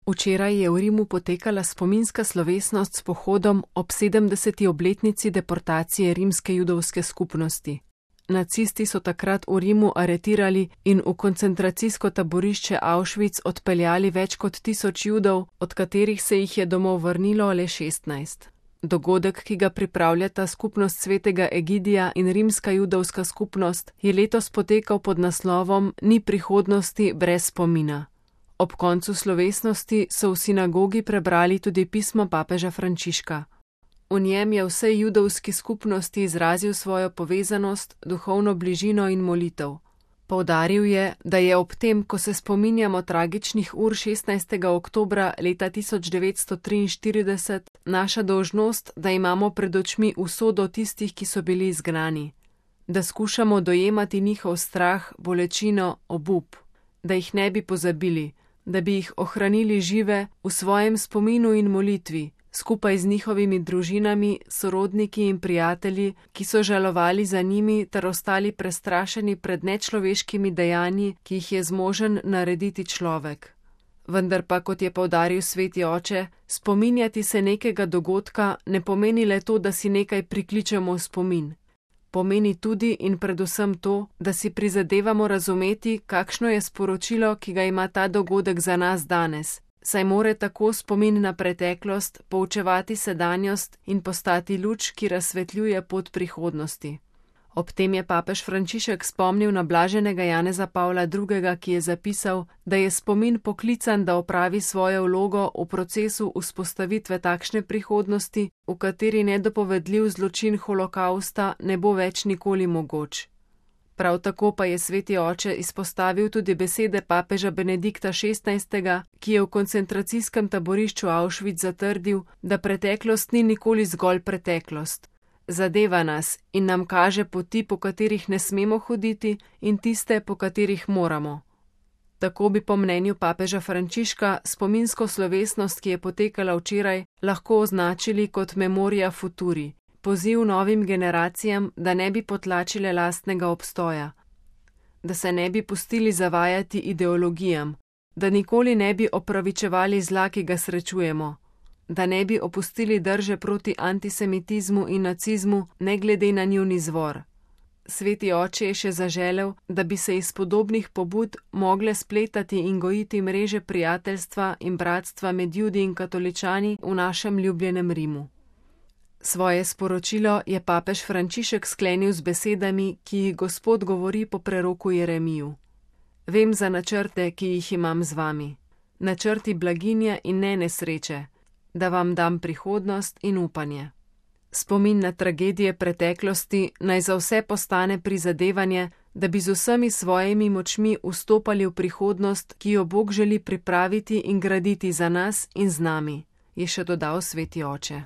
Včeraj je v Rimu potekala spominska slovesnost s pohodom ob 70. obletnici deportacije rimske judovske skupnosti. Nacisti so takrat v Rimu aretirali in v koncentracijsko taborišče Auschwitz odpeljali več kot 1000 Judov, od katerih se jih je domov vrnilo le 16. Dogodek, ki ga pripravljata skupnost svetega Egidija in rimska judovska skupnost, je letos potekal pod naslovom Ni prihodnosti brez spomina. Ob koncu slovesnosti so v sinagogi prebrali tudi pismo papeža Frančiška. V njem je vsej judovski skupnosti izrazil svojo povezanost, duhovno bližino in molitev. Poudaril je, da je ob tem, ko se spominjamo tragičnih ur 16. oktobra leta 1943, naša dolžnost, da imamo pred očmi usodo tistih, ki so bili izgnani, da skušamo dojemati njihov strah, bolečino, obup, da jih ne bi pozabili, da bi jih ohranili žive v svojem spominu in molitvi, skupaj z njihovimi družinami, sorodniki in prijatelji, ki so žalovali za njimi ter ostali prestrašeni pred nečloveškimi dejanji, ki jih je zmožen narediti človek. Vendar pa, kot je poudaril sveti oče, spominjati se nekega dogodka ne pomeni le to, da si nekaj prikličemo v spomin. Pomeni tudi in predvsem to, da si prizadevamo razumeti, kakšno je sporočilo, ki ga ima ta dogodek za nas danes, saj more tako spomin na preteklost poučevati sedanjost in postati luč, ki razsvetljuje pot prihodnosti. Ob tem je papež Frančišek spomnil na blaženega Janeza Pavla II., ki je zapisal, da je spomin poklican, da opravi svojo vlogo v procesu vzpostavitve takšne prihodnosti, v kateri nedopovedljiv zločin holokausta ne bo več nikoli mogoč. Prav tako pa je sveti oče izpostavil tudi besede papeža Benedikta XVI., ki je v koncentracijskem taborišču Auschwitz zatrdil, da preteklost ni nikoli zgolj preteklost. Zadeva nas in nam kaže poti, po katerih ne smemo hoditi, in tiste, po katerih moramo. Tako bi po mnenju papeža Frančiška spominsko slovesnost, ki je potekala včeraj, lahko označili kot memoria futuri, poziv novim generacijam, da ne bi potlačile lastnega obstoja, da se ne bi pustili zavajati ideologijam, da nikoli ne bi opravičevali zla, ki ga srečujemo, da ne bi opustili drže proti antisemitizmu in nacizmu, ne glede na njun izvor. Sveti oče je še zaželel, da bi se iz podobnih pobud mogle spletati in gojiti mreže prijateljstva in bratstva med Judi in katoličani v našem ljubljenem Rimu. Svoje sporočilo je papež Frančišek sklenil z besedami, ki jih Gospod govori po preroku Jeremiju. Vem za načrte, ki jih imam z vami, načrti blaginje in ne nesreče, da vam dam prihodnost in upanje. Spomin na tragedije preteklosti naj za vse postane prizadevanje, da bi z vsemi svojimi močmi vstopali v prihodnost, ki jo Bog želi pripraviti in graditi za nas in z nami, je še dodal sveti oče.